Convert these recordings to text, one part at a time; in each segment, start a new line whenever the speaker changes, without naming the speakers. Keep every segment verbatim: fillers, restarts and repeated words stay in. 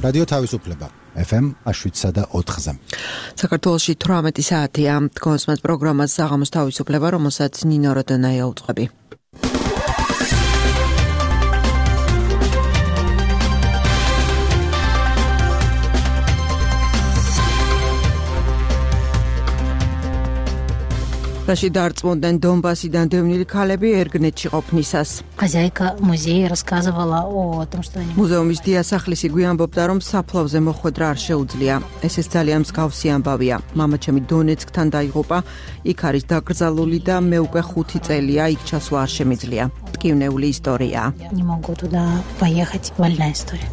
რადიო თავისუფლება ეფ ემ შვიდსა და ოთხზე.
საქართველოში თვრამეტი საათია. კონსმენს პროგრამას საღამოს თავისუფლება, რომელსაც ნინო როდონაია უწყები. რაში დარწმუნდნენ დონბასიდან დევნილი ქალები ერგნეთში ყოფნისას.
Хозяйка музея рассказывала о том, что они...
მუზეუმის დიასახლისი გვიანბობდა, რომ საფლავზე მოხვედრა არ შეუძლია. ესეც ძალიან მსგავსი ამბავია. მამაჩემი დონეცკთან დაიღუპა, იქ არის დაკრძალული და მე უკვე ხუთი წელია იქ ჩასვლა არ შემიძლია. ტკივნეული ისტორია.
Не могу туда поехать. Больная история.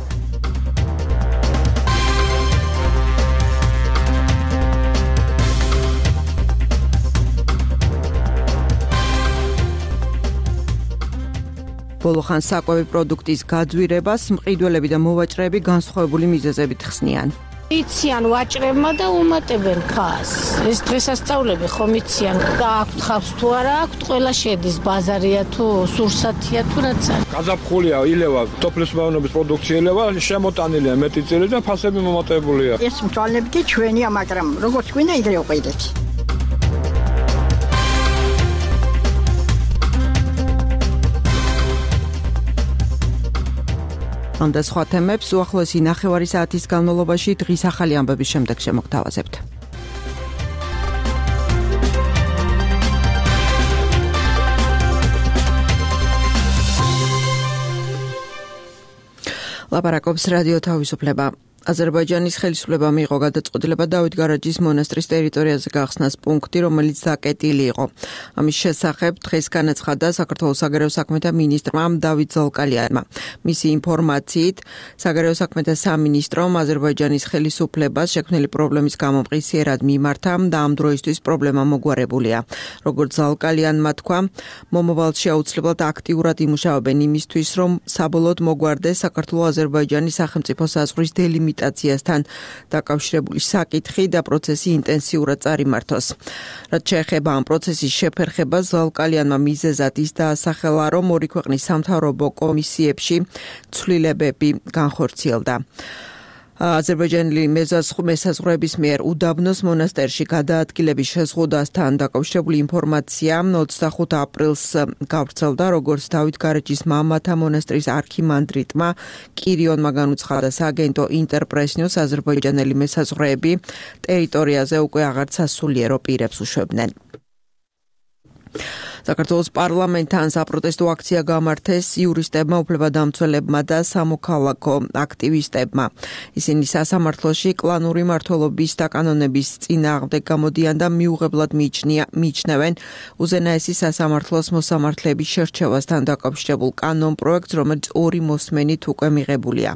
ბოლოხან საკვები პროდუქტის გაძვირებას მყიდველები და მოვაჭრეები განსხვავებული მიზეზებით ხსნიან.
იციან ვაჭრებმა და უმატებენ ხას. ეს დღესასწაულები ხომ იციან და აქვთ ხავს თუ არა აქვთ, ყველა შედის ბაზარია თუ სურსათია თუ რაც არის.
გაზაფხულია ილევა, სოფლის მეურნეობის პროდუქცია ილევა, შემოტანილია მეტი წელი და ფასები მომატებულია.
ეს მწვალები კი ჩვენია, მაგრამ როგორც გვინდა იდრე უყიდეთ.
ამ და სხვა თემებს უახლოესი ნახევარი საათის განმავლობაში დღის ახალი ამბების შემდეგ შემოგთავაზებთ. ლაპარაკობს რადიო თავისუფლება. აზერბაიჯანის ხელისუფლებამ მიიღო გადაწყვეტილება დავით გარაჯის მონასტრის ტერიტორიაზე გახსნას პუნქტი, რომელიც დაკეტილი იყო. ამის შესახებ დღეს განაცხადა საქართველოს საგარეო საქმეთა მინისტრმა დავით ზოლკალიანმა. მისი ინფორმაციით, საგარეო საქმეთა სამინისტრომ აზერბაიჯანის ხელისუფლებას შექმნილი პრობლემის გამო მყისიერად მიმართა და ამ დროისთვის პრობლემა მოგვარებულია. როგორც ზოლკალიანმა თქვა, მომავალში აუცილებლად აქტიურად იმუშავებენ იმისთვის, რომ საბოლოოდ მოგვარდეს საქართველო-აზერბაიჯანის სახელმწიფო საზღვრის დელიმიტაცია ციასთან დაკავშირებული საკითხი და პროცესი ინტენსიურად წარიმართოს. რაც შეეხება ამ პროცესის შეფერხებას, ზოლკალიანმა მიზეზად ის დაასახელა, რომ ორი ქვეყნის სამთავრობო კომისიებში ცვლილებები განხორციელდა. აზერბაიჯანელი მეზაზღვრების მიერ უდაბნოს მონასტერში გადაადგილების შეზღუდვასთან დაკავშირებული ინფორმაცია ოცდახუთი აპრილს გავრცელდა, როგორც დავით გარაჯის მამათა მონასტრის არქიმანდრიტმა კირიონმა განუცხადა სააგენტო ინტერპრეს-ნიუს, აზერბაიჯანელი მეზაზღვრები ტერიტორიაზე უკვე აღარ სასულიერო პირებს უშვებდნენ. საქართველოს პარლამენტთან საპროტესტო აქცია გამართეს იურისტებმა, უფლებადამცველებმა და სამოქალაქო აქტივისტებმა. ისინი სასამართლოში კლანური მმართველობის და კანონების წინააღმდეგ გამოდიან და მიუღებლად მიიჩნევენ უზენაესი სასამართლოს მოსამართლეების შერჩევასთან დაკავშირებულ კანონპროექტს, რომელიც ორი მოსმენით უკვე მიღებულია.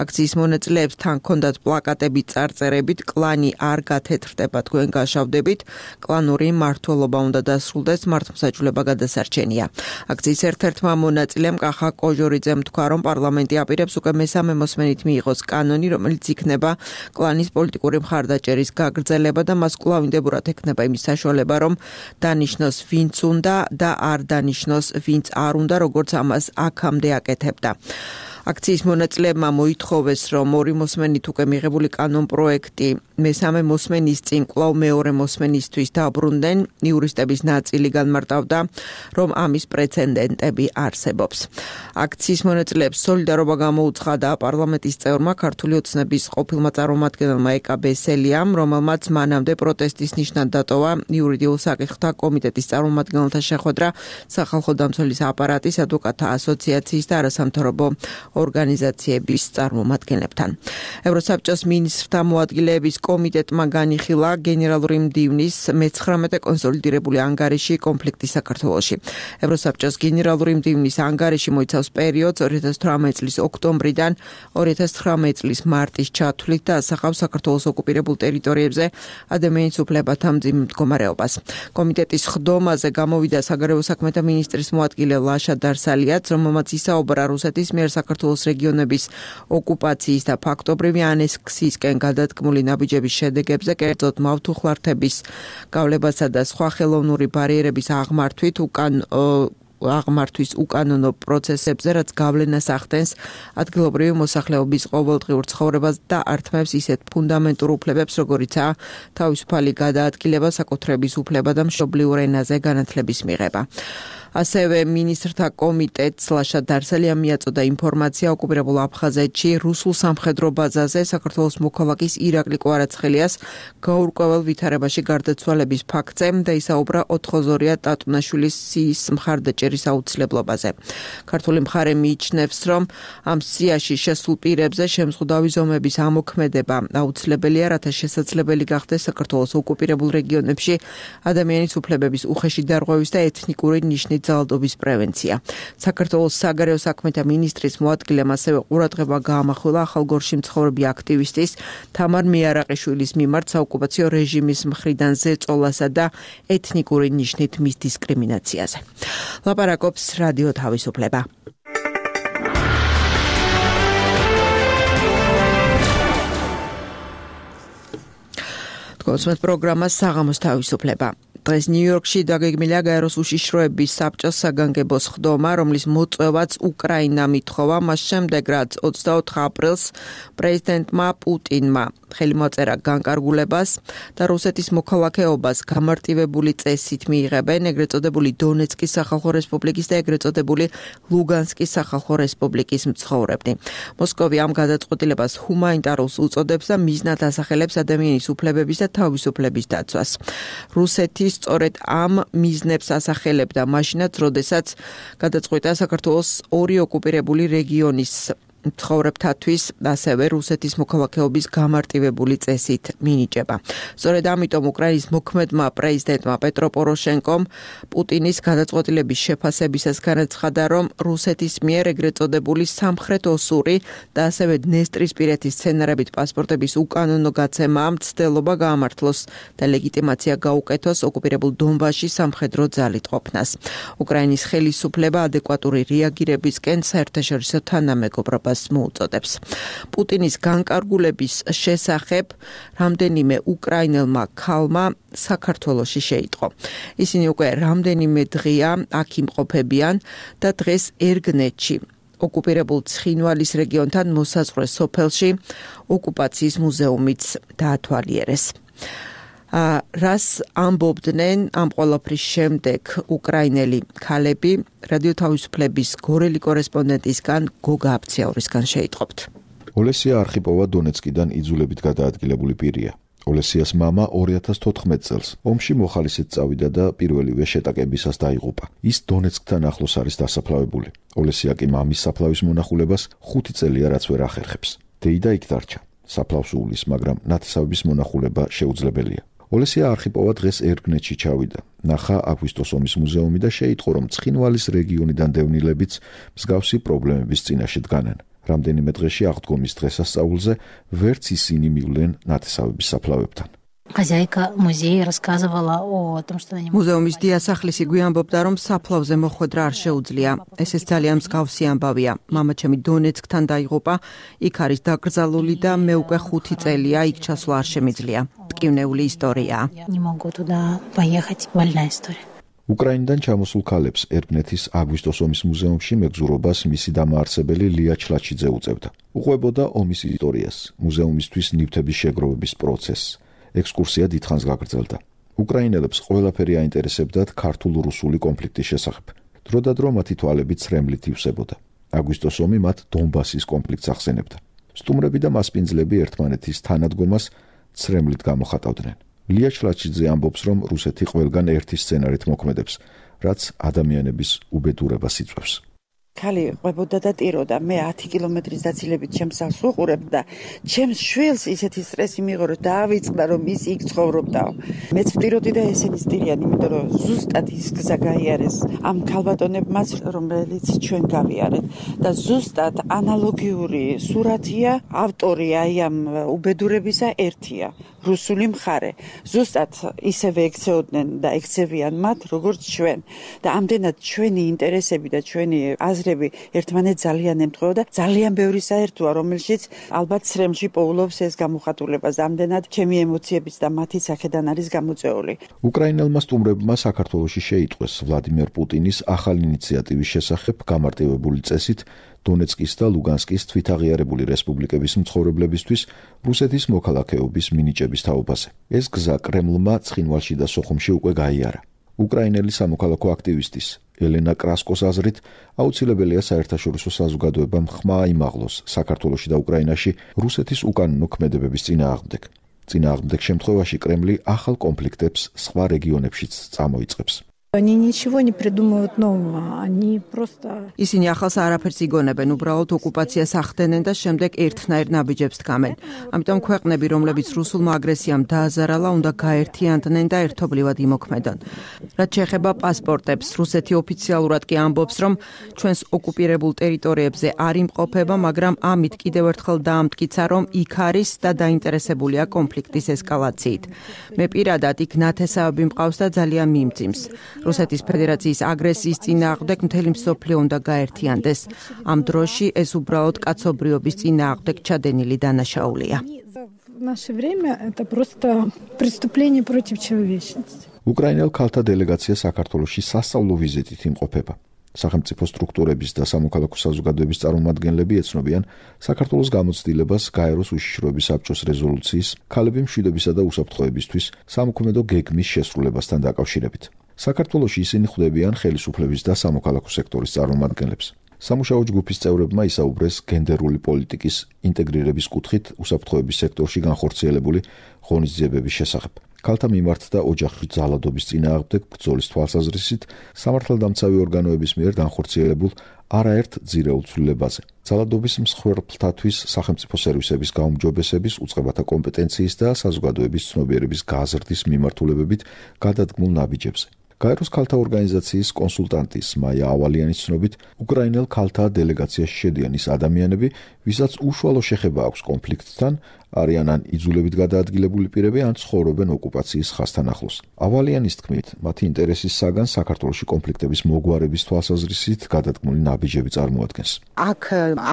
აქციის მონაწილეებს თან ჰქონდათ პლაკატები წარწერებით „კლანი არ გათეთრდება, თქვენ გაშავდებით, კლანური მმართველობა უნდა დასრულდეს, მართლმსაჯულება გადასარჩენია. აქციის ერთ-ერთმა მონაწილემ კახა კოჟორიძემ თქვა, რომ პარლამენტი აპირებს უკვე მესამე მოსმენით მიიღოს კანონი, რომელიც იქნება კლანის პოლიტიკური მხარდაჭერის გაგრძელება და მას კვლავინდებურად ექნება იმის საშუალება, რომ დანიშნოს ვინც უნდა და არ დანიშნოს ვინც არ უნდა, როგორც ამას აქამდე აკეთებდა. აქციის მონაწილეებმა მოითხოვეს, რომ ორი მოსმენით უკვე მიღებული კანონპროექტი მესამე მოსმენის წინ კვლავ მეორე მოსმენისთვის დაბრუნდნენ. იურისტების ნაწილი განმარტავდა, რომ ამის პრეცედენტები არსებობს. აქციის მონაწილეებს სოლიდარობა გამოუცხადა პარლამენტის წევრმა, ქართული ოცნების ყოფილმა წარმომადგენელმა ეკა ბესელიამ, რომელმაც მანამდე პროტესტის ნიშნად დატოვა იურიდიულ საკითხთა კომიტეტის წარმომადგენელთა შეხვედრა სახალხო დამცველის აპარატის, ადვოკატთა ასოციაციის და არასამთავრობო ორგანიზაციების წარმომადგენლებთან. ევროსაბჭოს მინისტრთა მოადგილეების კომიტეტმა განიხილა გენერალური მდივნის მეცხრამეტე კონსოლიდირებული ანგარიში კონფლიქტი საქართველოში. ევროსაბჭოს გენერალური მდივნის ანგარიში მოიცავს პერიოდს ორი ათას თვრამეტი წლის ოქტომბრიდან ორი ათას ცხრამეტი წლის მარტის ჩათვლით და ასახავს საქართველოს ოკუპირებულ ტერიტორიებზე ადამიანის უფლებათა მძიმე მდგომარეობას. კომიტეტის ხდომაზე გამოვიდა საგარეო საქმეთა მინისტრის მოადგილე ლაშა დარსალიაც, რომელმაც ისაუბრა რუსეთის მიერ საქართველოს რეგიონების ოკუპაციის და ფაქტობრივი ანექსიისკენ გადადგმული ნაბიჯების შედეგებზე, კერძოდ მავთუხლართების გავლებასა და სხვა ხელოვნური ბარიერების აღმართვით უკან აღმართვის უკანონო პროცესებზე, რაც გავლენას ახდენს ადგილობრივი მოსახლეობის ყოველდღიურ ცხოვრებას და ართმევს ისეთ ფუნდამენტურ უფლებებს, როგორიცაა თავისუფალი გადაადგილება, საკუთრების უფლება და მშობლიურ ენაზე განათლების მიღება. ასევე მინისტრთა კომიტეტს ლაშა დარსალიამ მიაწოდა ინფორმაცია ოკუპირებულ აფხაზეთში რუსულ სამხედრო ბაზაზე საქართველოს მოქალაქის ირაკლი კვარაცხელიას გაურკვეველ ვითარებაში გარდაცვალების ფაქტზე და ისაუბრა ოთხოზორია ტატუნაშვილის სიის მხარდაჭერის აუცილებლობაზე. ქართული მხარე მიიჩნევს, რომ ამ სიაში შესულ პირებზე შემზღუდავი ზომების ამოქმედება აუცილებელია, რათა შესაძლებელი გახდეს საქართველოს ოკუპირებულ რეგიონებში ადამიანის უფლებების უხეში დარღვევის და ეთნიკური ნიშნის ძალადობის პრევენცია. საქართველოს საგარეო საქმეთა მინისტრის მოადგილემ ასევე ყურადღება გაამახვილა ახალგორში მცხოვრები აქტივისტის თამარ მიარაყიშვილის მიმართ საოკუპაციო რეჟიმის მხრიდან ზეწოლასა და ეთნიკური ნიშნით მის დისკრიმინაციაზე. ლაპარაკობს რადიო თავისუფლება. თქვენს პროგრამას საღამოს თავისუფლება. დღეს ნიუ-იორკში დაგეგმილია გაეროს უშიშროების საბჭოს საგანგებო სხდომა, რომლის მოწვევაც უკრაინამ ითხოვა მას შემდეგ, რაც ოცდაოთხ აპრილს პრეზიდენტმა პუტინმა ხელი მოაწერა განკარგულებას და რუსეთის მოქალაქეობას გამარტივებული წესით მიიღებენ ეგრეთ წოდებული დონეცკის სახალხო რესპუბლიკის და ეგრეთ წოდებული ლუგანსკის სახალხო რესპუბლიკის მცხოვრებნი. მოსკოვი ამ გადაწყვეტილებას ჰუმანიტარულს უწოდებს და მიზნად ასახელებს ადამიანის უფლებების და თავისუფლების დაცვას. რუსეთი სწორედ ამ მიზნებს ასახელებდა მაშინაც, როდესაც გადაწყვიტა საქართველოს ორი ოკუპირებული რეგიონის მცხოვრებთათვის ასევე რუსეთის მოქალაქეობის გამარტივებული წესით მინიჭება. სწორედ ამიტომ უკრაინის მოქმედმა პრეზიდენტმა პეტრო პოროშენკომ პუტინის გადაწყვეტილების შეფასებისას განაცხადა, რომ რუსეთის მიერ ეგრეთ წოდებული სამხრეთ ოსური და ასევე დნესტრისპირეთის სცენარებით პასპორტების უკანონო გაცემა მცდელობა გაამართლოს და ლეგიტიმაცია გაუკეთოს ოკუპირებულ დონბასში სამხედრო ძალით ყოფნას. უკრაინის ხელისუფლება ადეკვატური რეაგირებისკენ საერთაშორისო თანამეგობრობას მოუწოდებს. პუტინის განკარგულების შესახებ რამდენიმე უკრაინელმა ქალმა საქართველოში შეიტყო. ისინი უკვე რამდენიმე დღეა აქ იმყოფებიან და დღეს ერგნეთში ოკუპირებულ ცხინვალის რეგიონთან მოსაზღვრე სოფელში ოკუპაციის მუზეუმიც დაათვალიერეს. რას ამბობდნენ ამ ყველაფრის შემდეგ უკრაინელი ქალები, რადიო თავისუფლების გორელი კორესპონდენტისგან გოგა აფციაურისგან შეიტყობთ.
ოლესია არხიპოვა დონეცკიდან იძულებით გადაადგილებული პირია. ოლესიას მამა ორი ათას თოთხმეტ წელს ომში მოხალისედ წავიდა და პირველივე შეტაკებისას დაიღუპა. ის დონეცკთან ახლოს არის დასაფლავებული. ოლესია კი მამის საფლავის მონახულებას ხუთი წელია რაც ვერ ახერხებს. დეიდა იქ დარჩა. საფლავს უვლის, მაგრამ ნათესავების მონახულება შეუძლებელია. ოლესია არხიპოვა დღეს ერგნეთში ჩავიდა. ნახა აგვისტოს ომის მუზეუმი და შეიტყო, რომ ცხინვალის რეგიონიდან დევნილებიც მსგავსი პრობლემების წინაშე დგანან. რამდენიმე დღეში აღდგომის დღესასწაულზე ვერც ისინი მივლენ ნათესავების საფლავებთან.
Хозяйка музея рассказывала о том, что они...
მუზეუმის დიასახლისი გვიანბობდა, რომ საფლავზე მოხვედრა არ შეუძლია. ესეც ძალიან მსგავსი ამბავია. მამაჩემი დონეცკთან დაიღუპა, იქ არის დაკრძალული და მე უკვე ხუთი წელია იქ ჩასვლა არ შემიძლია. ტკივნეული ისტორიაა.
Не могу туда поехать. Больная история.
უკრაინიდან ჩამოსულ ქალებს ერგნეთის აგვისტოს ომის მუზეუმში მეგზურობას მისი დამაარსებელი ლია ჩლაჩიძე უწევდა. უყვებოდა ომის ისტორიას, მუზეუმისთვის ნივთების შეგროვების პროცესს. ექსკურსია დიდხანს გაგრძელდა. უკრაინელებს ყველაფერი აინტერესებდათ ქართულ-რუსული კონფლიქტის შესახებ. დროდადრო მათი თვალები ცრემლით ივსებოდა. აგვისტოს ომი მათ დონბასის კონფლიქტს ახსენებდა. სტუმრები და მასპინძლები ერთმანეთის თანადგომას ცრემლით გამოხატავდნენ. ლია ჩლაჩიძე ამბობს, რომ რუსეთი ყველგან ერთი სცენარით მოქმედებს, რაც ადამიანების უბედურებას იწვევს.
ქალი ყვებოდა და ტიროდა. მე ათი კილომეტრის დაცილებით ჩემს სახლს ვუყურებ და ჩემს შვილს ისეთი სტრესი მიიღო, რომ დაავიწყდა, რომ ის იქ ცხოვრობდაო. მეც ვტიროდი და ესენი სტირიან, იმიტომ რომ ზუსტად ის გზა გაიარეს ამ ქალბატონებმაც, რომელიც ჩვენ გავიარეთ და ზუსტად ანალოგიური სურათია, ავტორი აი ამ უბედურებისა ერთია. რუსული მხარე. ზუსტად ისევე ექცეოდნენ და ექცევიან მათ, როგორც ჩვენ. და ამდენად ჩვენი ინტერესები და ჩვენი აზრები ერთმანეთს ძალიან ემთხვევა და ძალიან ბევრი საერთოა, რომელშიც ალბათ სრემში პოულობს ეს გამოხატულებას. ამდენად ჩემი ემოციებიც და მათი სახედან არის გამოწვეული.
უკრაინელმა სტუმრებმა საქართველოში შეიტყვეს ვლადიმერ პუტინის ახალი ინიციატივის შესახებ გამარტივებული წესით დონეცკის და ლუგანსკის თვითაღიარებული რესპუბლიკების მცხოვრებლებისთვის რუსეთის მოქალაქეობის მინიჭების თაობაზე. ეს გზა კრემლმა ცხინვალში და სოხუმში უკვე გაიარა. უკრაინელი სამოქალაქო აქტივისტის ელენა კრასკოს აზრით აუცილებელია საერთაშორისო საზოგადოებამ ხმა აიმაღლოს საქართველოში და უკრაინაში რუსეთის უკანონო ქმედებების წინააღმდეგ. წინააღმდეგ შემთხვევაში კრემლი ახალ კონფლიქტებს სხვა რეგიონებშიც წამოიწყებს.
Они ничего не придумывают нового, они просто...
ისინი ახალს არაფერს იგონებენ, უბრალოდ ოკუპაციას ახდენენ და შემდეგ ერთნაირ ნაბიჯებს დგამენ. ამიტომ ქვეყნები, რომლებიც რუსულმა აგრესიამ დააზარალა, უნდა გაერთიანდნენ და ერთობლივად იმოქმედონ. რაც შეეხება პასპორტებს, რუსეთი ოფიციალურად კი ამბობს, რომ ჩვენს ოკუპირებულ ტერიტორიებზე არ იმყოფება, მაგრამ ამით კიდევ ერთხელ დაამტკიცა, რომ იქ არის და დაინტერესებულია კონფლიქტის ესკალაციით. მე პირადად იქ ნათესავები მყავს და ძალიან მიმძიმს. რუსეთის ფედერაციის აგრესიის წინააღმდეგ მთელი მსოფლიო უნდა გაერთიანდეს. ამ დროში ეს უბრალოდ კაცობრიობის წინააღმდეგ ჩადენილი დანაშაულია.
В наше время это просто преступление против человечности.
უკრაინელ ქალთა დელეგაცია საქართველოში სასწავლო ვიზიტით იმყოფება. სახელმწიფო სტრუქტურების და სამოქალაქო საზოგადოების წარმომადგენლები ეცნობიან საქართველოს გამოცდილებას გაეროს უშიშროების საბჭოს რეზოლუციის ქალები მშვიდობისა და უსაფრთხოებისთვის სამოქმედო გეგმის შესრულებასთან დაკავშირებით. საქართველოში ისინი ხვდებიან ხელისუფლების და სამოქალაქო სექტორის წარმომადგენლებს. სამუშაო ჯგუფის წევრებმა ისაუბრეს გენდერული პოლიტიკის ინტეგრირების კუთხით უსაფრთხოების სექტორში განხორციელებული ღონისძიებების შესახებ. ქალთა მიმართ და ოჯახური ძალადობის წინააღმდეგ ბრძოლის თვალსაზრისით სამართალდამცავი ორგანოების მიერ განხორციელებულ არაერთ ძირეულ ცვლილებაზე. ძალადობის მსხვერპლთათვის სახელმწიფო სერვისების გაუმჯობესების, უწყებათა კომპეტენციის და საზოგადოების ცნობიერების გაზრდის მიმართულებებით გადადგმულ ნაბიჯებზე. გაეროს ქალთა ორგანიზაციის კონსულტანტის მაია ავალიანის ცნობით, უკრაინელ ქალთა დელეგაციაში შედიან ის ადამიანები, ვისაც უშუალო შეხება აქვს კონფლიქტთან, არიან ან იძულებით გადაადგილებული პირები, ან ცხოვრობენ ოკუპაციის ხაზთან ახლოს. ავალიანის თქმით, მათი ინტერესის საგანს საქართველოში კონფლიქტების მოგვარების თვალსაზრისით გადადგმული ნაბიჯები წარმოადგენს.
აქ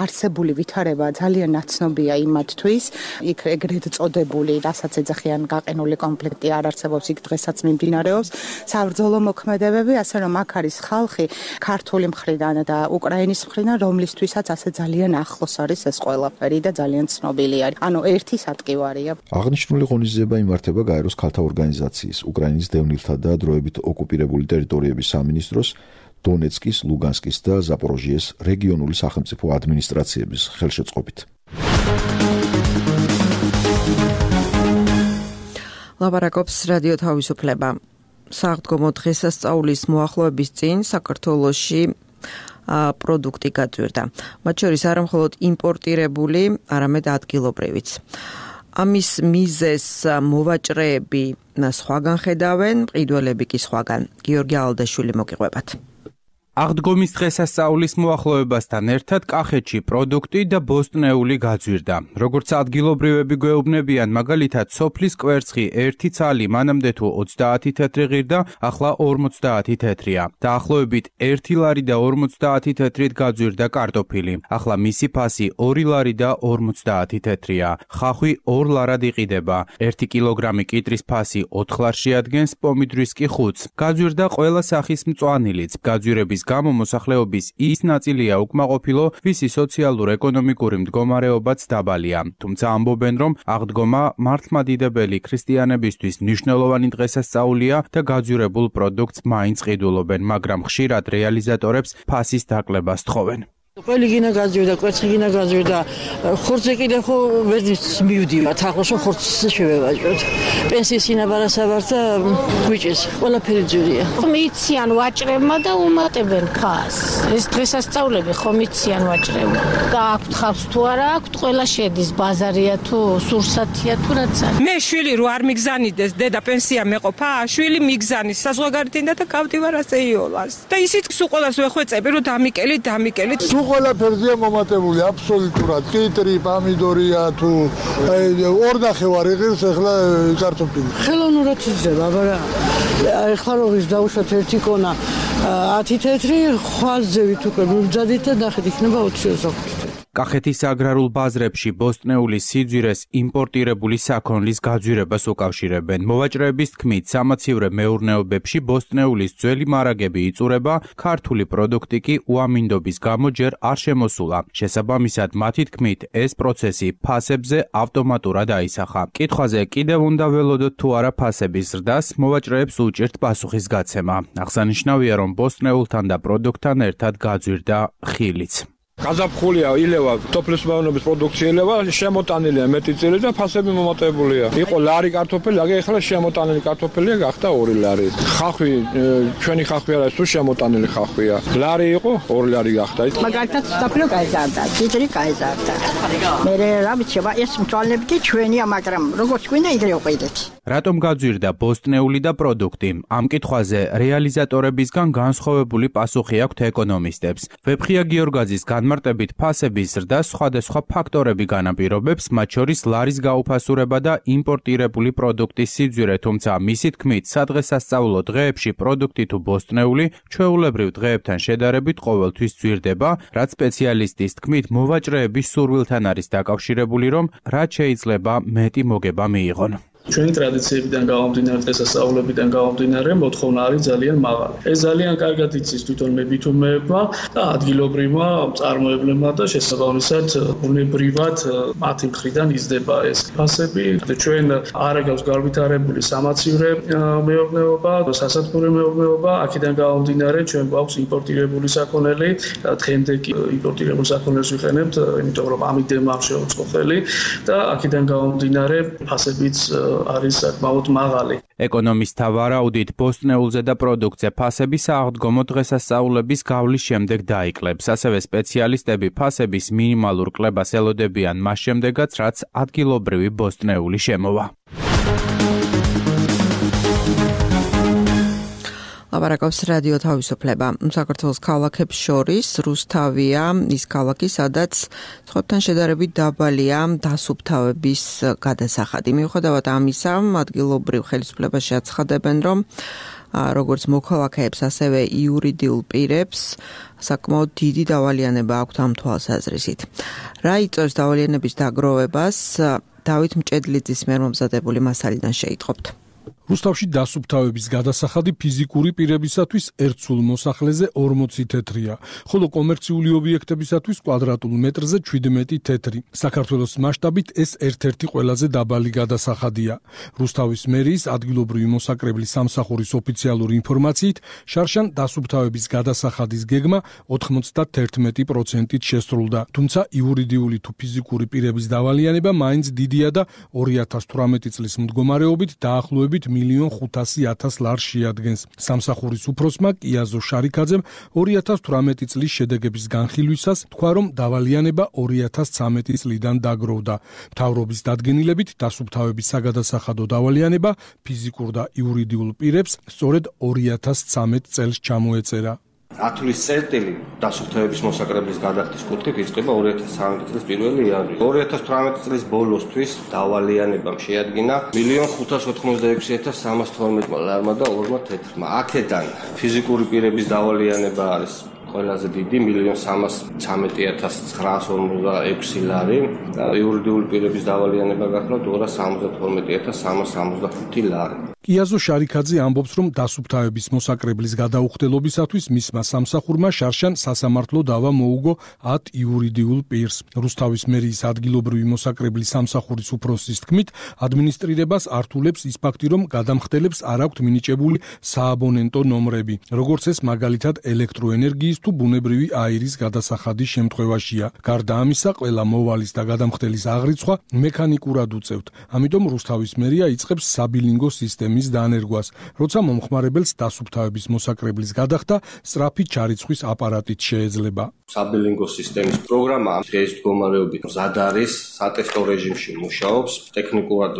არსებული ვითარება ძალიან ნაცნობია იმათთვის, იქ ეგრეთ წოდებული, რასაც ეძახიან გაყინული კონფლიქტი არ არსებობს, იქ დღესაც მიმდინარეობს საბრძოლო მოქმედებები, ასე რომ აქ არის ხალხი ქართული მხრიდან და უკრაინის მხრიდან, რომლისთვისაც ასე ძალიან ახლოს არის ეს ყველაფერი და ძალიან ცნობილი არის. ანუ ერთი სატკივარია.
აღნიშნული ღონისძიება იმართება გაეროს ქალთა ორგანიზაციის, უკრაინის დევნილთა და დროებით ოკუპირებული ტერიტორიების სამინისტროს, დონეცკის, ლუგანსკის და ზაპოროჟიეს რეგიონული სახელმწიფო ადმინისტრაციების ხელშეწყობით.
ლაპარაკობს რადიო თავისუფლება. საღდგომო დღესასწაულის მოახლოების წინ საქართველოში პროდუქტი გაძვირდა. მათ შორის არა მხოლოდ იმპორტირებული, არამედ ადგილობრივიც. ამის მიზეზს მოვაჭრეები სხვაგან ხედავენ, მყიდველები კი სხვაგან. გიორგი ალდაშვილი მოგიყვებათ.
აღდგომის დღესასწაულის მოახლოებასთან ერთად კახეთში პროდუქტი და ბოსტნეული გაძვირდა. როგორც ადგილობრივები გვეუბნებიან, მაგალითად სოფლის კვერცხი ერთი ცალი მანამდე თუ ოცდაათი თეთრი ღირდა, ახლა ორმოცდაათი თეთრია. დაახლოებით ერთი ლარი და ორმოცდაათი თეთრით გაძვირდა კარტოფილი. ახლა მისი ფასი ორი ლარი და ორმოცდაათი თეთრია. ხახვი ორ ლარად იყიდება. ერთი კილოგრამი კიტრის ფასი ოთხ ლარში ადგენს, პომიდრის კი ხუთს. გაძვირდა ყველა სახის მწვანილიც. გაძვირების გამო მოსახლეობის ის ნაწილია უკმაყოფილო, ვისი სოციალურ-ეკონომიკური მდგომარეობაც დაბალია. თუმცა ამბობენ, რომ აღდგომა მართლმადიდებელი ქრისტიანებისთვის მნიშვნელოვანი დღესასწაულია და გაძვირებულ პროდუქტს მაინც ყიდულობენ, მაგრამ ხშირად რეალიზატორებს ფასის დაკლებას თხოვენ.
ყველი გინა გაძვირდა, კვერცხი გინა გაძვირდა, ხორცზე კიდე ხო ვერც მივდივართ, ახლა შო ხორცს შევევაჭროთ. პენსიის ინაბარასაბარს და გვიჭეს, ყველაფერი ძვირია.
მიციან ვაჭრებმა და უმატებენ ფასს. ეს დღესასწაულები ხომ მიციან ვაჭრებმა. და აქვთ ხავს თუ არა აქვთ, ყველა შედის, ბაზარია თუ სურსათია თუ რაც არის.
მე შვილი რო არ მიგზანიდეს, დედა პენსია მეყოფა, შვილი მიგზანის, საზღვარგარეთიდან და გავდივარ ასე იოლას. და ისიც სულ ყველას ვეხვეწები, რომ დამიკელით, დამიკელით.
ყველაფერზეა მომატებული აბსოლუტურად. კიტრი, პამიდორია თუ ორნახევარი ღირს ახლა კარტოფილი.
ხელოვნურად იზრდება, მაგრამ ახლა როგორ დავუშვათ ერთი კონა ათი თეთრი, ხვალზევით უკვე მივძადით და ნახეთ იქნება ოცი ოცდაოთხი.
კახეთის აგრარულ ბაზრებში ბოსტნეული სიძვირეს იმპორტირებული საქონლის გაძვირებას უკავშირებენ. მოვაჭრეების თქმით, სამაცივრე მეურნეობებში ბოსტნეულის ძველი მარაგები იწურება, ქართული პროდუქტი კი უამინდობის გამო ჯერ არ შემოსულა. შესაბამისად, მათი თქმით, ეს პროცესი ფასებზე ავტომატურად აისახა. კითხვაზე კიდევ უნდა ველოდოთ თუ არა ფასების ზრდას, მოვაჭრეებს უჭირთ პასუხის გაცემა. აღსანიშნავია, რომ ბოსტნეულთან და პროდუქტთან ერთად გაძვირდა ხილიც.
გაზაფხულია ილევა თოფლის მეურნეობის პროდუქცია ილევა შემოტანილია მეტი წელი და ფასები მომატებულია. იყო ლარი კარტოფილი, აგე ახლა შემოტანილი კარტოფილია გახდა ორი ლარი. ხახვი ჩვენი ხახვი არა, თუ შემოტანილი ხახვია. ლარი იყო ორი ლარი გახდა.
მაგალითად საფრო გაიზარდა, კიტრი გაიზარდა. მე რა ვიცი, ეს მწვალებდი ჩვენია, მაგრამ როგორც გვინდა იგრე უყიდეთ.
რატომ გაძვირდა ბოსტნეული და პროდუქტი? ამ კითხვაზე რეალიზატორებისგან განსხვავებული პასუხი აქვთ ეკონომისტებს. ვეფხია გიორგაძის განმარტებით ფასების ზრდას სხვადასხვა ფაქტორები განაპირობებს, მათ შორის ლარის გაუფასურება და იმპორტირებული პროდუქტის სიძვირე, თუმცა მისი თქმით, სადღესასწაულო დღეებში პროდუქტი თუ ბოსტნეული ჩვეულებრივ დღეებთან შედარებით ყოველთვის ძვირდება, რაც სპეციალისტის თქმით მოვაჭრეების სურვილთან არის დაკავშირებული, რომ რაც შეიძლება მეტი მოგება მიიღონ.
ჩვენი ტრადიციებიდან გამომდინარე, დღესასწაულებიდან გამომდინარე, მოთხოვნა არის ძალიან მაღალი. ეს ძალიან კარგად იცის თვითონ მებითუმეებმა და ადგილობრივმა მწარმოებლებმა და შესაბამისად ბუნებრივად მათი მხრიდან იზრდება ეს ფასები. ჩვენ არ აქვს განვითარებული სამაცივრე მეურნეობა, სასათბურე მეურნეობა, აქედან გამომდინარე ჩვენ გვაქვს იმპორტირებული საქონელი, დღემდე კი იმპორტირებულ საქონელს ვიყენებთ, იმიტომ რომ ამიტომ ამ შეუწყო ხელი და აქედან გამომდინარე ფასებიც არის საკმაოდ მაღალი.
ეკონომისტთა ვარაუდით, ბოსტნეულზე და პროდუქტზე ფასების აღდგომო დღესასწაულების გავლის შემდეგ დაიკლებს. ასევე სპეციალისტები ფასების მინიმალურ კლებას ელოდებიან მას შემდეგაც, რაც ადგილობრივი ბოსტნეული შემოვა.
ლაპარაკობს რადიო თავისუფლება. საქართველოს ქალაქებს შორის რუსთავია ის ქალაქი, სადაც ცხოთთან შედარებით დაბალია დასუფთავების გადასახადი. მიუხედავად ამისა, ადგილობრივ ხელისუფლებაში აცხადებენ, რომ როგორც მოქალაქეებს, ასევე იურიდიულ პირებს საკმაოდ დიდი დავალიანება აქვთ ამ თვალსაზრისით. რა იწვევს დავალიანების დაგროვებას? დავით მჭედლიძის მიერ მომზადებული მასალიდან შეიტყობთ.
რუსთავში დასუფთავების გადასახადი ფიზიკური პირებისათვის ერთ სულ მოსახლეზე ორმოცი თეთრია, ხოლო კომერციული ობიექტებისათვის კვადრატულ მეტრზე შვიდმეტი თეთრი. საქართველოს მასშტაბით ეს ერთ-ერთი ყველაზე დაბალი გადასახადია. რუსთავის მერიის ადგილობრივი მოსაკრებლის სამსახურის ოფიციალური ინფორმაციით, შარშან დასუფთავების გადასახადის გეგმა ოთხმოცდაათი პროცენტით შესრულდა, თუმცა იურიდიული თუ ფიზიკური პირების დავალიანება მაინც დიდია და ორი ათას თვრამეტი წლის მდგომარეობით დაახლოებით მილიონ ხუთასი ათას ლარს შეადგენს. სამსახურის უფროსმა კიაზო შარიქაძემ ორი ათას თვრამეტი წლის შედეგების განხილვისას თქვა, რომ დავალიანება ორი ათას ცხრამეტი წლიდან დაგროვდა. მთავრობის დადგენილებით დასუფთავების საგადასახადო დავალიანება ფიზიკურ და იურიდიულ პირებს სწორედ ორი ათას ცხრამეტ წელს ჩამოეწერა.
ათვლის წერტილი დასუფთავების მოსაკრებლის გადახდის კუთხით იწყება ორი ათას ცხრამეტი წლის პირველი იანვარი. ორი ათას თვრამეტი წლის ბოლოსთვის დავალიანებამ შეადგინა მილიონ ხუთას ოთხმოცდაექვსი ათას სამას თორმეტმა ლარმა და ორმა თეთრმა. აქედან ფიზიკური პირების დავალიანება არის ყველაზე დიდი მილიონ სამას ცხრამეტი ათას ცხრაას ორმოცდაექვსი ლარი და იურიდიული პირების დავალიანება გახლავთ ორას სამოცდათორმეტი ათას სამას სამოცდახუთი ლარი.
კიაზო შარიქაძე ამბობს, რომ დასუფთავების მოსაკრებლის გადაუხდელობისათვის მისმა სამსახურმა შარშან სასამართლო დავა მოუგო ათ იურიდიულ პირს. რუსთავის მერიის ადგილობრივი მოსაკრებლის სამსახურის უფროსის თქმით, ადმინისტრირებას ართულებს ის ფაქტი, რომ გადამხდელებს არ აქვთ მინიჭებული სააბონენტო ნომრები, როგორც ეს მაგალითად ელექტროენერგიის თუ ბუნებრივი აირის გადასახადის შემთხვევაშია. გარდა ამისა, ყველა მოვალის და გადამხდელის აღრიცხვა მექანიკურად უწევთ. ამიტომ რუსთავის მერია იწყებს საბილინგო სისტემის დანერგვას, როცა მომხმარებელს დასუფთავების მოსაკრებლის გადახდა სწრაფი ჩარიცხვის აპარატით შეეძლება.
საბილინგო სისტემის პროგრამა დღეს მდგომარეობით მზად არის, სატესტო რეჟიმში მუშაობს, ტექნიკურად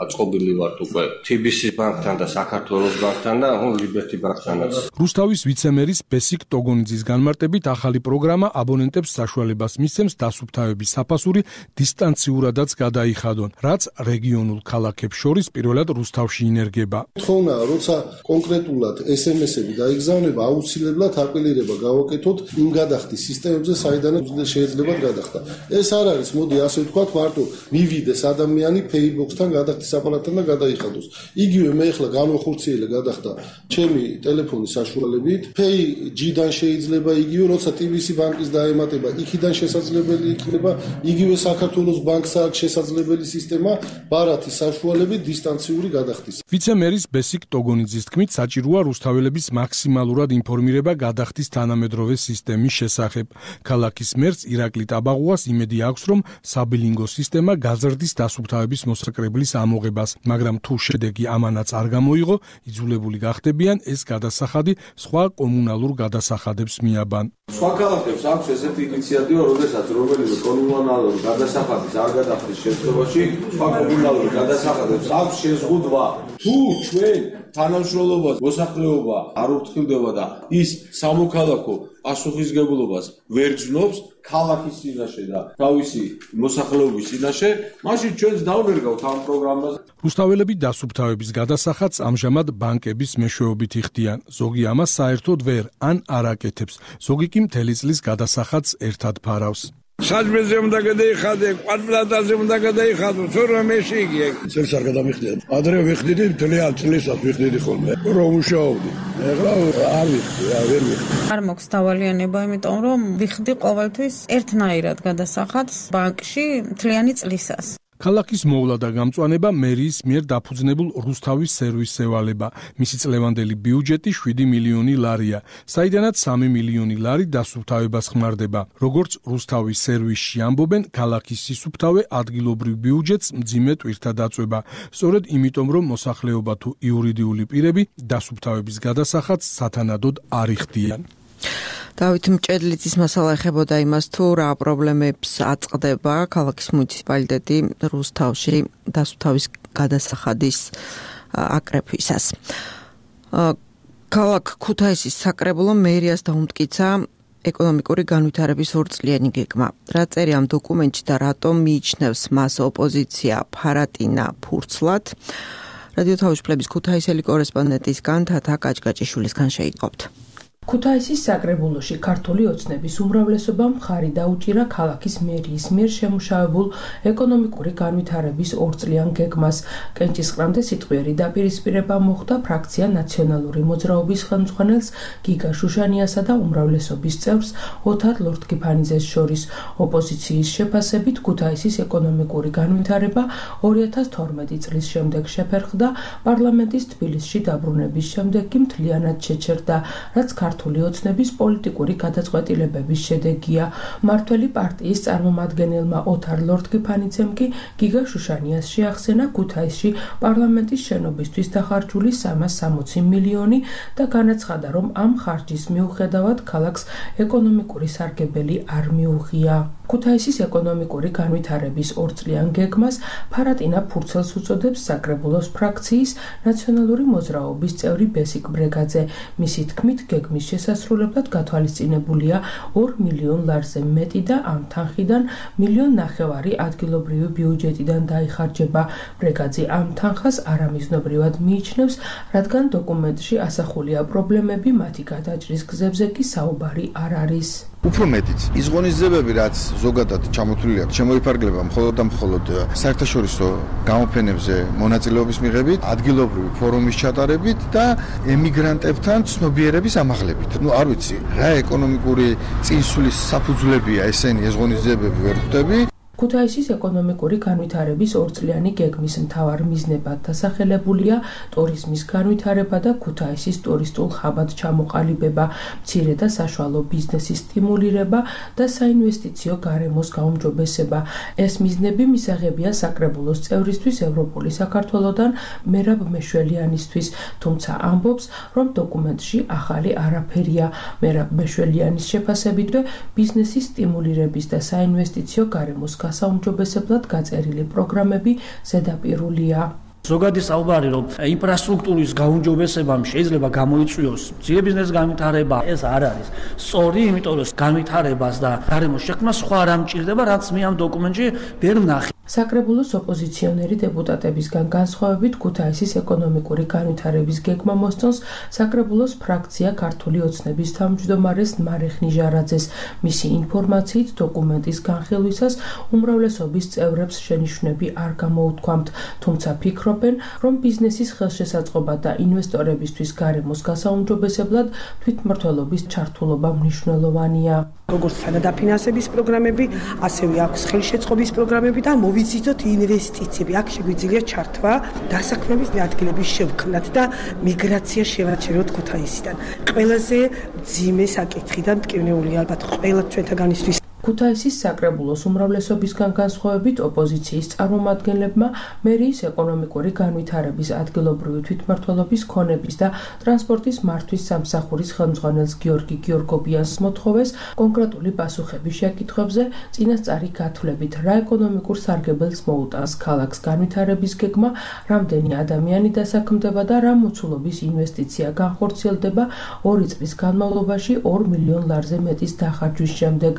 აწყობილი ვართ უკვე თი ბი სი ბანკთან და საქართველოს ბანკთან და ლიბერტი ბანკთანაც.
რუსთავის ვიცემერის ბესიკ ტოგონიძის განმარტებით ახალი პროგრამა აბონენტებს საშუალებას მისცემს დასუფთავების საფასური დისტანციურადაც გადაიხადონ, რაც რეგიონულ ქალაქებს შორის პირველად რუსთავში ინერგება.
თხოვნა, როცა კონკრეტულად ეს ემ ესები დაიგზავნება, აუცილებლად აპელირება გავაკეთოთ იმ გადახდის სისტემებზე, საიდანაც შეიძლება გადახდა. ეს არ არის, მოდი ასე ვთქვათ, მარტო მივიდეს ადამიანი Paybox-თან გადახდის აპარატთან და გადაიხადოს. იგივე მე ახლა განვახორციელე გადახდა ჩემი ტელეფონის საშუალებით. Pay-G-დან შეიძლება იგივე, როცა ტი ბი სი ბანკის დაემატება, იქიდან შესაძლებელი იქნება, იგივე საქართველოს ბანკს აქვს შესაძლებელი სისტემა ბარათის საშუალებით დისტანციური გადახდის.
ვიცე-მერის ბესიკ ტოგონიძის თქმით, საჭიროა რუსთაველების მაქსიმალურად ინფორმირება გადახდის თანამედროვე სისტემის შესახებ. ქალაქის მერს ირაკლი ტაბაღუას იმედი აქვს, რომ საბილინგო სისტემა გაზრდის დასუფთავების მოსაკრებლის ამოღებას, მაგრამ თუ შედეგი ამანაც არ გამოიღო, იძულებული გახდებიან ეს გადასახადი სხვა კომუნალურ გადასახადებს მიაბან.
სხვა ქალაქებს აქვს ესეთი ინიციატივა, როდესაც რომელიმე კომუნალურ გადასახადის არ გადახდის შემთხვევაში, სხვა კომუნალურ გადასახადებს აქვს შეზღუდვა. თუ ჩვენ თანამშრომლობას მოსახლეობა არ ურთქილდება და ის სამოქალაქო პასუხისგებლობას ვერ ჯნობს ქალაქის წინაშე და თავისი მოსახლეობის წინაშე, მაშინ ჩვენც დავნერგავთ ამ პროგრამას.
რუსთაველები დასუფთავების გადასახადს ამჟამად ბანკების მეშვეობით იხდიან. ზოგი ამას საერთოდ ვერ ან არ აკეთებს, ზოგი კი მთელი წლის გადასახადს ერთად ფარავს.
საჯმეზე უნდა გადაიხადე, კვადრატაზე უნდა გადაიხადო, თუ რომ ეში იგი.
წელს არ გადამიხდიათ. ადრე ვიხდიდი, მთლიან წლისას ვიხდიდი ხოლმე. რომ ვუშაობდი. ეხლა არ ვიხდი, ვერ ვიხდი.
არ მაქვს დავალიანება, იმიტომ რომ ვიხდი ყოველთვის ერთნაირად გადასახადს ბანკში მთლიანი წლისას.
ქალაქის მოვლა და გამწვანება მერიის მიერ დაფუძნებულ რუსთავის სერვისს ევალება. მისი წლევანდელი ბიუჯეტი შვიდი მილიონი ლარია, საიდანაც სამი მილიონი ლარი დასუფთავებას ხმარდება. როგორც რუსთავის სერვისში ამბობენ, ქალაქის სისუფთავე ადგილობრივ ბიუჯეტს მძიმე ტვირთად აწვება. სწორედ იმიტომ, რომ მოსახლეობა თუ იურიდიული პირები დასუფთავების გადასახადს სათანადოდ არ იხდიან.
დავით მჭედლიძის მასალა ეხებოდა იმას, თუ რა პრობლემებს აწყდება ქალაქის მუნიციპალიტეტი რუსთავში დასუფთავის გადასახადის აკრეფვისას. ქალაქ ქუთაისის საკრებულომ მერიას დაუმტკიცა ეკონომიკური განვითარების ორწლიანი გეგმა. რა წერია ამ დოკუმენტში და რატომ მიიჩნევს მას ოპოზიცია ფარატინა ფურცლად? რადიო თავისუფლების ქუთაისელი კორესპონდენტისგან თათა კაჭკაჭიშვილისგან შეიტყობთ.
ქუთაისის საკრებულოში ქართული ოცნების უმრავლესობამ მხარი დაუჭირა ქალაქის მერიის მიერ შემუშავებულ ეკონომიკური განვითარების ორწლიან გეგმას. კენჭისყრამდე სიტყვიერი დაპირისპირება მოხდა ფრაქცია ნაციონალური მოძრაობის ხელმძღვანელს გიგა შუშანიასა და უმრავლესობის წევრს ოთარ ლორთქიფანიძეს შორის. ოპოზიციის შეფასებით ქუთაისის ეკონომიკური განვითარება ორი ათას თორმეტი წლის შემდეგ შეფერხდა, პარლამენტის თბილისში დაბრუნების შემდეგ კი მთლიანად შეჩერდა, რაც ქართული ოცნების პოლიტიკური გადაწყვეტილებების შედეგია. მართველი პარტიის წარმომადგენელმა ოთარ ლორთქიფანიძემ კი გიგა შუშანიას შეახსენა ქუთაისში პარლამენტის შენობისთვის დახარჯული სამას სამოცი მილიონი და განაცხადა, რომ ამ ხარჯის მიუხედავად ქალაქს ეკონომიკური სარგებელი არ მიუღია. ქუთაისის ეკონომიკური განვითარების ორწლიან გეგმას ფარატინა ფურცელს უწოდებს საკრებულოს ფრაქციის ნაციონალური მოძრაობის წევრი ბესიკ ბრეგაძე. მისი თქმით, გეგმის შესასრულებლად გათვალისწინებულია ორ მილიონ ლარზე მეტი და ამ თანხიდან მილიონ ნახევარი ადგილობრივი ბიუჯეტიდან დაიხარჯება. ბრეგაძე ამ თანხას არამიზნობრივად მიიჩნევს, რადგან დოკუმენტში ასახულია პრობლემები, მათი გადაჭრის გზებზე კი საუბარი არ არის.
უფრო მეტიც, ის ღონისძიებები, რაც ზოგადად ჩამოთვლილი აქვს, შემოიფარგლება მხოლოდ და მხოლოდ საერთაშორისო გამოფენებზე მონაწილეობის მიღებით, ადგილობრივი ფორუმის ჩატარებით და ემიგრანტებთან ცნობიერების ამაღლებით. ნუ არ ვიცი, რა ეკონომიკური წინსვლის საფუძვლებია ესენი ეს ღონისძიებები ვერ ხვდები.
ქუთაისის ეკონომიკური განვითარების ორწლიანი გეგმის მთავარ მიზნებად დასახელებულია ტურიზმის განვითარება და ქუთაისის ტურისტულ ხაბად ჩამოყალიბება, მცირე და საშუალო ბიზნესის სტიმულირება და საინვესტიციო გარემოს გაუმჯობესება. ეს მიზნები მისაღებია საკრებულოს წევრისთვის ევროპული საქართველოდან მერაბ მეშველიანისთვის, თუმცა ამბობს, რომ დოკუმენტში ახალი არაფერია. მერაბ მეშველიანის შეფასებითვე ბიზნესის სტიმულირების და საინვესტიციო გარემოს გასაუმჯობესებლად გაწერილი პროგრამები ზედაპირულია.
ზოგადი საუბარი რომ ინფრასტრუქტურის გაუმჯობესებამ შეიძლება გამოიწვიოს ძიებიზნეს განვითარება, ეს არ არის სწორი, იმიტომ რომ განვითარებას და გარემოს შექმნას სხვა რამ ჭირდება, რაც მე ამ დოკუმენტში ვერ ვნახე.
საკრებულოს ოპოზიციონერი დეპუტატებისგან განსხვავებით ქუთაისის ეკონომიკური განვითარების გეგმა მოსწონს საკრებულოს ფრაქცია ქართული ოცნების თავმჯდომარეს მარეხ ნიჟარაძეს. მისი ინფორმაციით დოკუმენტის განხილვისას უმრავლესობის წევრებს შენიშვნები არ გამოუთქვამთ, თუმცა ფიქრობენ, რომ ბიზნესის ხელშესაწყობა და ინვესტორებისთვის გარემოს გასაუმჯობესებლად თვითმმართველობის ჩართულობა მნიშვნელოვანია.
როგორც თანადაფინანსების პროგრამები, ასევე აქვს ხელშეწყობის პროგრამები და მოვიზიდოთ ინვესტიციები. აქ შეგვიძლია ჩართვა დასაქმების ადგილების შევქმნათ და მიგრაცია შევაჩეროთ ქუთაისიდან. ყველაზე მძიმე საკითხი და მტკივნეული ალბათ ყველა ჩვენთაგანისთვის.
ქუთაისის საკრებულოს უმრავლესობისგან განსხვავებით ოპოზიციის წარმომადგენლებმა მერიის ეკონომიკური განვითარების ადგილობრივი თვითმმართველობის ქონების და ტრანსპორტის მართვის სამსახურის ხელმძღვანელს გიორგი გიორგობიანს მოთხოვეს კონკრეტული პასუხების შეკითხვებზე წინასწარი გათვლებით, რა ეკონომიკურ სარგებელს მოუტანს ქალაქს განვითარების გეგმა, რამდენი ადამიანი დასაქმდება და რა მოცულობის ინვესტიცია განხორციელდება ორი წლის განმავლობაში ორ მილიონ ლარზე მეტის დახარჯვის შემდეგ.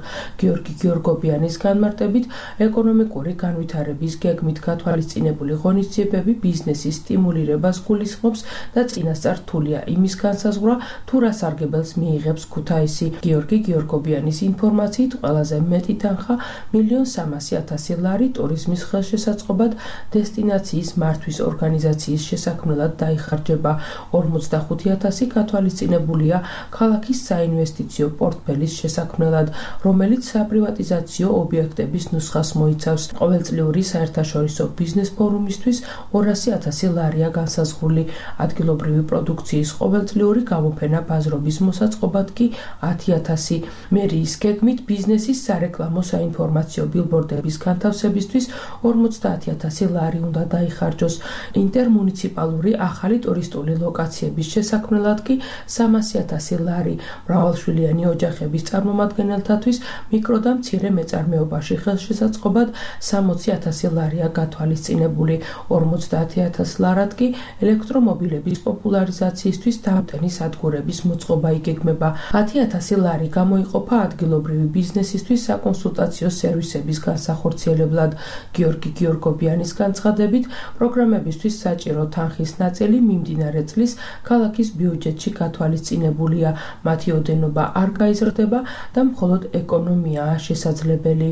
გიორგი გიორგობიანის განმარტებით, ეკონომიკური განვითარების გეგმით გათვალისწინებული ღონისძიებები ბიზნესის სტიმულირებას გულისხმობს და წინასწარ რთულია იმის განსაზღვრა, თუ რა სარგებელს მიიღებს ქუთაისი. გიორგი გიორგობიანის ინფორმაციით, ყველაზე მეტი თანხა მილიონ სამასი ათასი ლარი ტურიზმის ხელშესაწყობად დესტინაციის მართვის ორგანიზაციის შესაქმნელად დაიხარჯება. ორმოცდახუთი ათასი გათვალისწინებულია ქალაქის საინვესტიციო პორტფელის შესაქმნელად, რომელიც საპრივატიზაციო ობიექტების ნუსხას მოიცავს. ყოველწლიური საერთაშორისო ბიზნეს ფორუმისთვის ორასი ათასი ლარია განსაზღვრული. ადგილობრივი პროდუქციის ყოველწლიური გამოფენა ბაზრობის მოსაწყობად კი ათი ათასი. მერიის გეგმით ბიზნესის სარეკლამო საინფორმაციო ბილბორდების განთავსებისთვის ორმოცდაათი ათასი ლარი უნდა დაიხარჯოს. ინტერმუნიციპალური ახალი ტურისტული ლოკაციების შესაქმნელად კი სამასი ათასი ლარი. მრავალშვილიანი ოჯახების წარმომადგენელთათვის მიკრო და მცირე მეწარმეობაში ხელშესაწყობად სამოცი ათასი ლარია გათვალისწინებული. ორმოცდაათი ათასი ლარად კი ელექტრომობილების პოპულარიზაციისთვის დამტენის სადგურების მოწყობა იგეგმება. ათი ათასი ლარი გამოიყოფა ადგილობრივი ბიზნესისთვის საკონსულტაციო სერვისების განსახორციელებლად. გიორგი გიორგობიანის განცხადებით, პროგრამებისთვის საჭირო თანხის ნაწილი მიმდინარე წლის ქალაქის ბიუჯეტში გათვალისწინებულია. მათი ოდენობა არ გაიზრდება და მხოლოდ ეკონომიაა შესაძლებელი.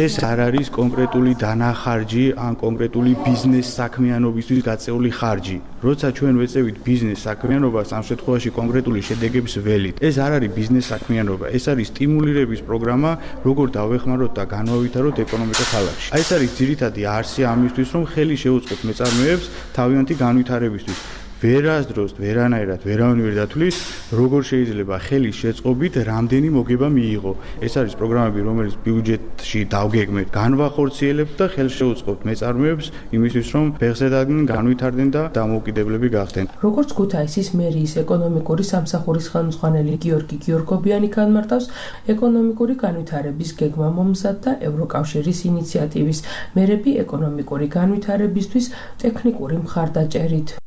ეს არ არის კონკრეტული დანახარჯი ან კონკრეტული ბიზნეს საქმიანობისთვის გაწეული ხარჯი. როცა ჩვენ ვეწევით ბიზნეს საქმიანობას, ამ შემთხვევაში კონკრეტული შედეგების ველით, ეს არ არის ბიზნეს საქმიანობა, ეს არის სტიმულირების პროგრამა, როგორ დავეხმაროთ და განვავითაროთ ეკონომიკა ქალაქში. აი ეს არის ძირითადი არსი ამისთვის, რომ ხელი შეუწყოთ მეწარმეებს თავიანთი განვითარებისთვის. ვერასდროს ვერანაირად ვერავინ ვერ დათვლის, როგორ შეიძლება ხელის შეწყობით რამდენი მოგება მიიღო. ეს არის პროგრამები, რომელიც ბიუჯეტში დავგეგმეთ, განვახორციელებთ და ხელს შეუწყობთ მეწარმეებს იმისთვის, რომ ფეხზედადან განვითარდნენ და დამოუკიდებლები გახდნენ.
როგორც ქუთაისის მერიის ეკონომიკური სამსახურის ხელმძღვანელი გიორგი გიორგობიანი განმარტავს, ეკონომიკური განვითარების გეგმა მომზადდა ევროკავშირის ინიციატივის მერები ეკონომიკური განვითარებისთვის ტექნიკური მხარდაჭერით.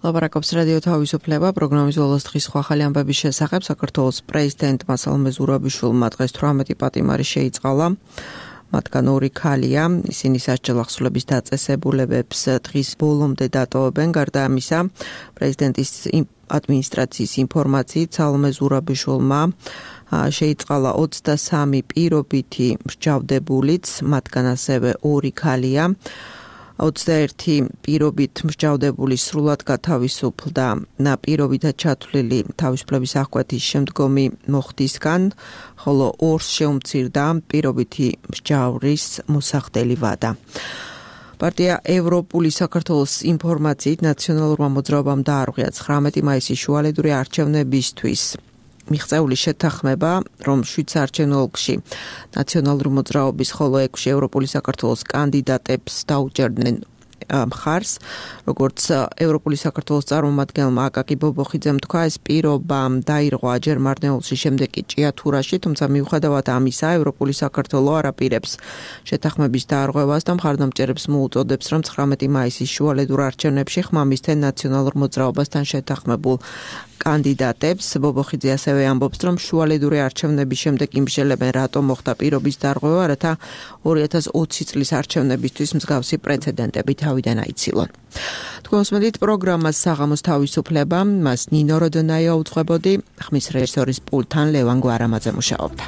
ლაპარაკობს რადიო თავისუფლება პროგრამის ბოლოს დღის სხვა ახალი ამბების შესახებ. საქართველოს პრეზიდენტმა სალომე ზურაბიშვილმა დღეს თვრამეტი პატიმარი შეიწყალა. მათგან ორი ქალია, ისინი სასჯელ ახსულების დაწესებულებებს დღის ბოლომდე დატოვებენ. გარდა ამისა, პრეზიდენტის ადმინისტრაციის ინფორმაციით სალომე ზურაბიშვილმა შეიწყალა ოცდასამი პირობითი მსჯავრდებულიც, მათგან ასევე ორი ქალია. ოცდაერთი პირობით მსჯავრდებული სრულად გათავისუფლდა პირობითად ჩათვლილი თავისუფლების აღკვეთის შემდგომი მოხდისგან, ხოლო ორს შეუმცირდა პირობითი მსჯავრის მოსახდელი ვადა. პარტია ევროპული საქართველოს ინფორმაციით ნაციონალურმა მოძრაობამ დაარღვია ცხრამეტი მაისის შუალედური არჩევნებისთვის მიღწეული შეთანხმება, რომ შვიდ საარჩევნო ოლქში ნაციონალური მოძრაობის, ხოლო ექვსში ევროპული საქართველოს კანდიდატებს დაუჭერდნენ მხარს, როგორც ევროპული საქართველოს წარმომადგენელმა აკაკი ბობოხიძემ თქვა, ეს პირობა დაირღვა ჯერ მარნეულში, შემდეგ კი ჭიათურაში, თუმცა მიუხედავად ამისა, ევროპული საქართველო არაპირებს შეთანხმების დაარღვევას და მხარდამჭერებს მოუწოდებს, რომ ცხრამეტი მაისის შუალედურ არჩევნებში ხმამისთენ ნაციონალურ მოძრაობასთან შეთანხმებულ კანდიდატებს. ბობოხიძე ასევე ამბობს, რომ შუალედური არჩევნების შემდეგ იმშელებენ, რატომ მოხდა პირობის დარღვევა, რათა ორი ათას ოცი წლის არჩევნებისთვის მსგავსი პრეცედენტები თავიდან აიცილონ. თქვენ უსმენთ პროგრამას საღამოს თავისუფლება, მას ნინო როდონაია უძღვებოდი, ხმის რეჟისორის პულტთან ლევან გვარამაძე მუშაობდა.